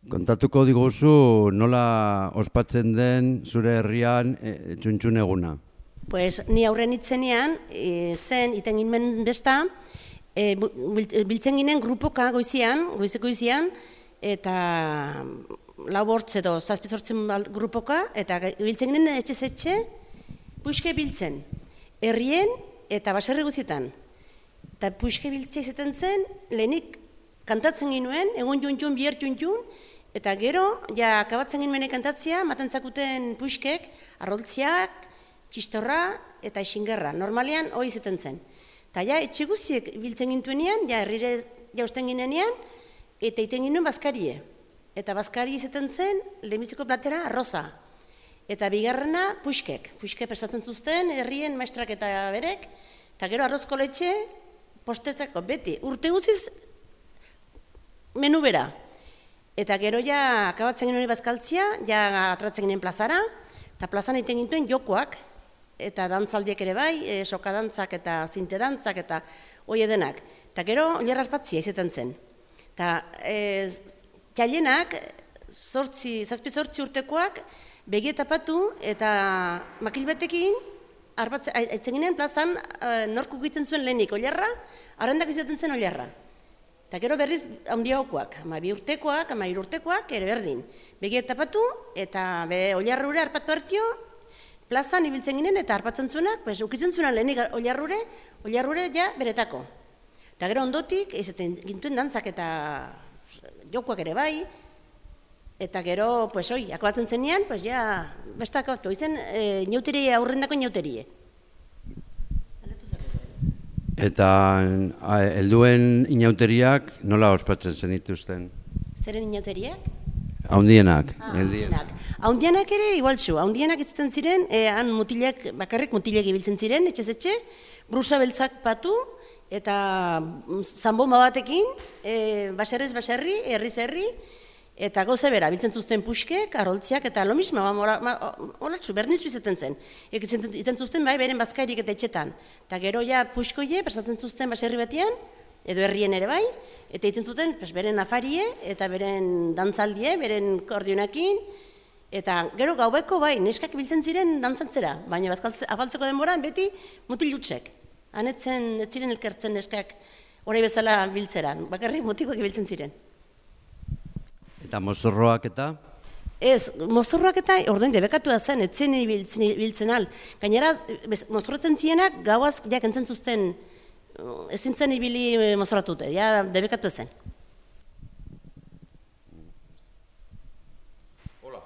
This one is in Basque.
Kontatuko diguzu nola ospatzen den zure herrian txuntxun eguna. Pues, ni aurren itzenean, zen, iten ginen besta, biltzen ginen grupoka goizeko goizian, eta lau bortz edo zazpizortzen grupoka, eta biltzen ginen etxe, puxke biltzen, herrien eta baserri guzietan. Eta puxke biltzea izaten zen, lehenik kantatzen ginuen, egun juntxun, bihar juntxun, eta gero, ja, akabatzen ginen kantatzea, maten zakuten puxkek, arroltziak, txistorra eta xingerra. Normalean, hori izaten zen. Eta ja, etxe guztiek biltzen gintuenean, ja, herrire jausten ginenean, eta iten ginen bazkarie. Eta bazkari izaten zen, lehenbiziko platera, arroza. Eta bigarrena, puxkek. Puxkek prestatzen zuzten, herrien maestrak eta berek, eta gero arrozko letxe, postetako beti. Urte guziz, menu bera. Eta gero ja, akabatzen ginen bazkaltzia, ja atratzen ginen plazara, eta plazan egiten gintuen jokoak, eta dantzaldiek ere bai, sokadantzak eta zintedantzak eta hoi edenak. Eta gero, oilar arpatzia izaten zen. Eta jailenak, zazpi-zortzi urtekoak, begietapatu eta makil batekin, aitzen ginen plazan, norku egiten zuen lehenik oilarra, arrendak izaten zen oilarra. Eta gero berriz handiagokoak, 12 urtekoak, 13 urtekoak, ere berdin. Begietapatu eta oilarrure arpatu hartio, plazan ibiltzen ginen eta arpatzen zuenak, ukitzen zuenak lehenik oilarrure ja beretako. Eta gero ondotik, izaten gintuen dantzak eta jokoak ere bai, eta gero, akabatzen zenean, ja, besta akabatu, izen inauterie, aurrendako inauterie. Eta helduen inauteriak nola ospatzen zenituzten? Zeren inauteriak? Haundienak. Haundienak ere igualtzu. Haundienak izaten ziren, han bakarrik mutilek ibiltzen ziren, etxez-etxe, brusa beltzak patu, eta zanbomba batekin, baserrez baserri, herriz herri, eta goze bera, biltzen zuzten puxkek, arroltziak, eta lo mismo, holatzu, berdintzu izaten zen. Izaten zuzten bai, beren bazkairik eta etxetan. Eta gero ja puxkoie, prestatzen zuzten baserri batian, edo herrien ere bai, eta egiten zuten beren afarie, eta beren dantzaldie, beren kordionakin, eta gero gaubeko bai, neskak biltzen ziren dantzantzera, baina afaltzeko denboran beti mutil jutsek. Hanetzen, ez ziren elkertzen neskak hori bezala biltzeran, bakarrik mutikoak biltzen ziren. Eta mozorroak eta? Ez, mozorroak eta orduan debekatua zen, etzen biltzen al. Gainera, mozorratzen zienak gauaz jak entzen zuzten, ezin zen ibili mozorratute, ja debekatu zen. Hola.